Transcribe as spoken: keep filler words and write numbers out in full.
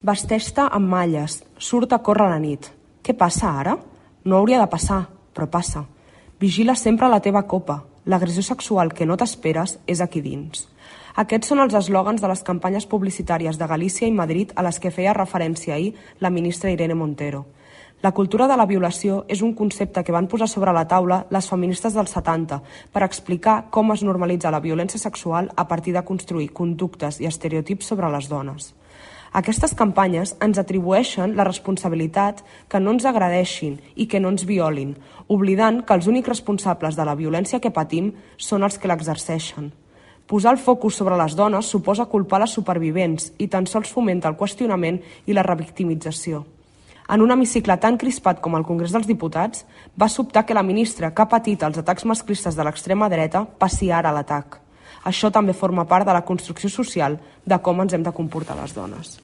Vesteix-te amb malles, surt a córrer a la nit. Què passa ara? No hauria de passar, però passa. Vigila sempre la teva copa. L'agressió sexual que no t'esperes és aquí dins. Aquests són els eslògans de les campanyes publicitàries de Galícia i Madrid a les que feia referència ahir la ministra Irene Montero. La cultura de la violació és un concepte que van posar sobre la taula les feministes dels setanta per explicar com es normalitza la violència sexual a partir de construir conductes i estereotips sobre les dones. Aquestes campanyes ens atribueixen la responsabilitat que no ens agredeixin i que no ens violin, oblidant que els únics responsables de la violència que patim són els que l'exerceixen. Posar el focus sobre les dones suposa culpar les supervivents i tan sols fomenta el qüestionament i la revictimització. En un hemicicle tan crispat com el Congrés dels Diputats, va sobtar que la ministra que ha patit els atacs masclistes de l'extrema dreta passi ara a l'atac. Això també forma part de la construcció social de com ens hem de comportar les dones.